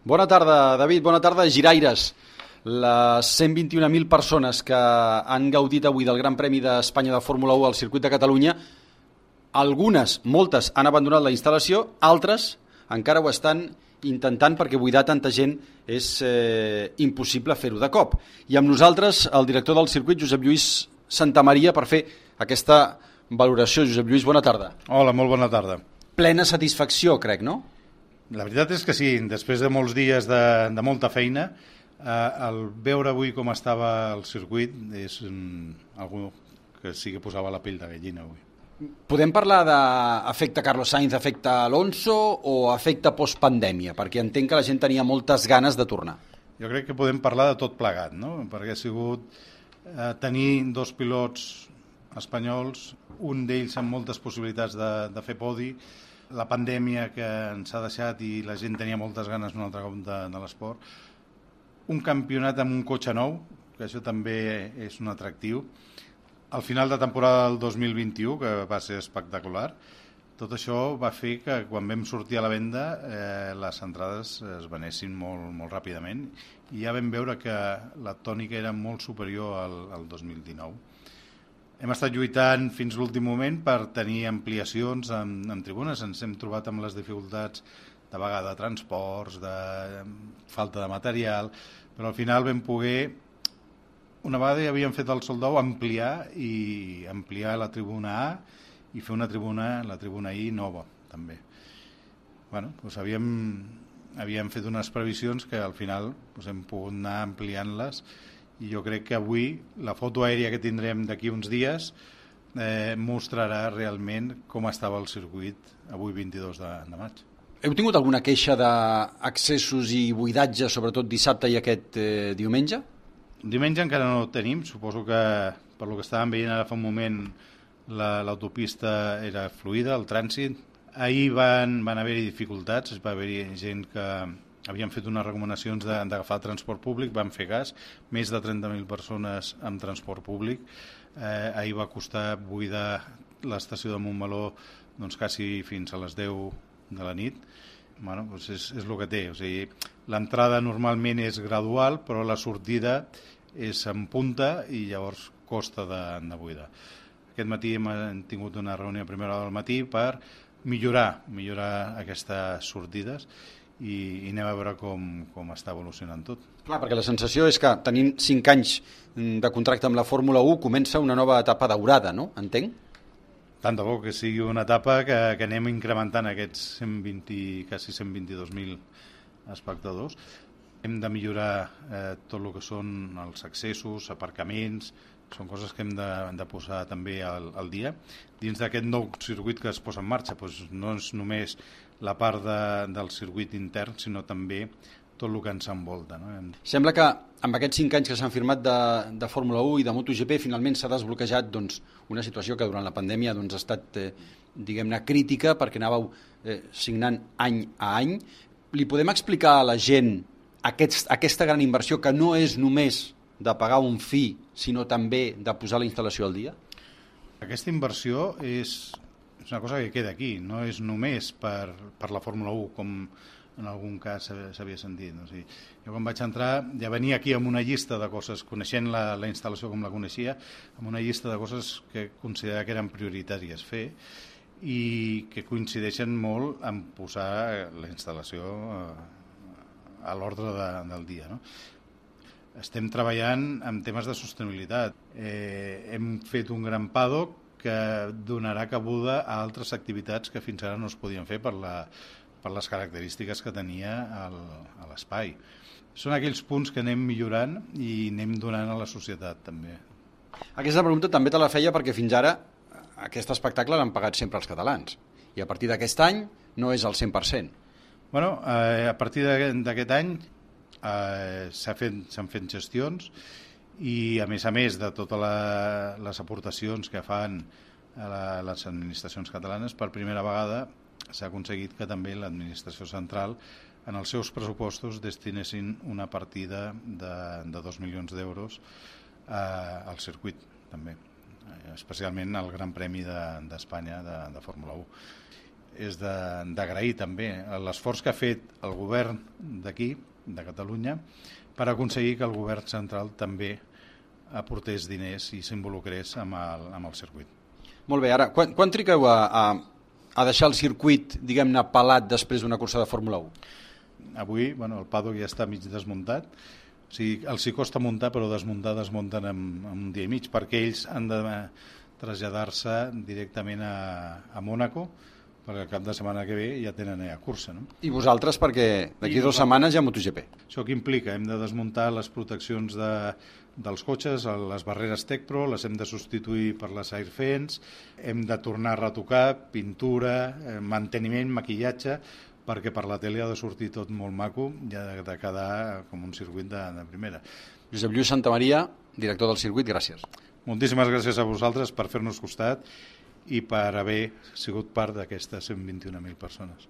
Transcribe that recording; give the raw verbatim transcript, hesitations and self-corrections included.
Bona tarda, David, bona tarda, giraires. Les cent vint-i-un mil persones que han gaudit avui del Gran Premi d'Espanya de Fórmula u al circuit de Catalunya, algunes, moltes, han abandonat la instal·lació, altres encara ho estan intentant perquè buidar tanta gent és eh, impossible fer-ho de cop. I amb nosaltres el director del circuit, Josep Lluís Santamaria, per fer aquesta valoració. Josep Lluís, bona tarda. Hola, molt bona tarda. Plena satisfacció, crec, no? La veritat és que sí, després de molts dies de, de molta feina, eh, el veure avui com estava el circuit és um, algú que sí que posava la pell de gallina avui. Podem parlar d'efecte Carlos Sainz, efecte Alonso o efecte postpandèmia? Perquè entenc que la gent tenia moltes ganes de tornar. Jo crec que podem parlar de tot plegat, no? Perquè ha sigut eh, tenir dos pilots espanyols, un d'ells amb moltes possibilitats de, de fer podi, la pandèmia que ens ha deixat i la gent tenia moltes ganes un altre cop de, de l'esport, un campionat amb un cotxe nou, que això també és un atractiu, al final de temporada del dos mil vint-i-u, que va ser espectacular, tot això va fer que quan vam sortir a la venda eh, les entrades es venessin molt, molt ràpidament i ja vam veure que la tònica era molt superior al, al dos mil dinou. Hem estat lluitant fins l'últim moment per tenir ampliacions en, en tribunes, ens hem trobat amb les dificultats de vegada de transports, de falta de material, però al final vam poder, una vegada ja havíem fet el sold out, ampliar i ampliar la tribuna A i fer una tribuna, la tribuna I nova, també. Bueno, doncs havíem, havíem fet unes previsions que al final doncs hem pogut anar ampliant-les i jo crec que avui la foto aèria que tindrem d'aquí uns dies eh, mostrarà realment com estava el circuit avui vint-i-dos de, de maig. Heu tingut alguna queixa d'accessos i buidatge, sobretot dissabte i aquest eh, diumenge? Diumenge encara no ho tenim, suposo que per lo que estàvem veient ara fa un moment l'autopista la, era fluida, el trànsit. Ahir van, van haver-hi dificultats, va haver-hi gent que havien fet unes recomanacions d'agafar transport públic, van fer cas, més de trenta mil persones amb transport públic. Eh, ahir va costar buidar l'estació de Montmeló doncs, quasi fins a les deu de la nit. Bueno, doncs és, és el que té, o sigui, l'entrada normalment és gradual, però la sortida és en punta i llavors costa de, de buidar. Aquest matí hem tingut una reunió a primera hora del matí per millorar, millorar aquestes sortides i, i anem a veure com, com està evolucionant tot. Clar, perquè la sensació és que tenint cinc anys de contracte amb la Fórmula u comença una nova etapa daurada, no? Entenc? Tant de bo que sigui una etapa que, que anem incrementant aquests cent vint, quasi cent vint-i-dos mil espectadors. Hem de millorar eh, tot el que són els accessos, aparcaments, són coses que hem de, de posar també al, al dia. Dins d'aquest nou circuit que es posa en marxa, doncs no és només la part de, del circuit intern, sinó també tot el que ens envolta. No? Sembla que amb aquests cinc anys que s'han firmat de, de Fórmula u i de MotoGP finalment s'ha desbloquejat doncs, una situació que durant la pandèmia doncs, ha estat eh, diguem-ne crítica perquè anàveu eh, signant any a any. Li podem explicar a la gent aquest, aquesta gran inversió que no és només de pagar un fi, sinó també de posar la instal·lació al dia? Aquesta inversió és, és una cosa que queda aquí, no és només per, per la Fórmula u, com en algun cas s'havia sentit. O sigui, jo quan vaig entrar ja venia aquí amb una llista de coses, coneixent la, la instal·lació com la coneixia, amb una llista de coses que considerava que eren prioritàries fer i que coincideixen molt en posar la instal·lació a l'ordre de, del dia. No? Estem treballant en temes de sostenibilitat. Eh, hem fet un gran paddock que donarà cabuda a altres activitats que fins ara no es podien fer per la per les característiques que tenia el, a l'espai. Són aquells punts que anem millorant i anem donant a la societat, també. Aquesta pregunta també te la feia perquè fins ara aquest espectacle l'han pagat sempre els catalans i a partir d'aquest any no és al cent per cent. Bueno, eh, a partir d'aquest any eh, s'han fet, s'han fet gestions i a més a més de totes la, les aportacions que fan a la, les administracions catalanes, per primera vegada s'ha aconseguit que també l'administració central en els seus pressupostos destinessin una partida de, de dos milions d'euros eh, al circuit, també, especialment al Gran Premi d'Espanya de, de Fórmula u. és d'agrair també l'esforç que ha fet el govern d'aquí, de Catalunya, per aconseguir que el govern central també aportés diners i s'involucrés amb, el, amb el circuit. Molt bé, ara, quan, quan triqueu a, a, a deixar el circuit, diguem-ne, pelat després d'una cursa de Fórmula u? Avui, bueno, el paddock ja està mig desmuntat, o sigui, els hi costa muntar, però desmuntar desmunten en, en un dia i mig, perquè ells han de traslladar-se directament a, a Mònaco, perquè el cap de setmana que ve ja tenen a cursa. No? I vosaltres, perquè d'aquí dues setmanes hi ha MotoGP. Això què implica? Hem de desmuntar les proteccions de, dels cotxes, les barreres Tecpro, les hem de substituir per les Airfence, hem de tornar a retocar, pintura, manteniment, maquillatge, perquè per la tele ha de sortir tot molt maco i ha de quedar com un circuit de, de primera. Josep Lluís Santamaria, director del circuit, gràcies. Moltíssimes gràcies a vosaltres per fer-nos costat i per haver sigut part d'aquestes cent vint i una mil persones.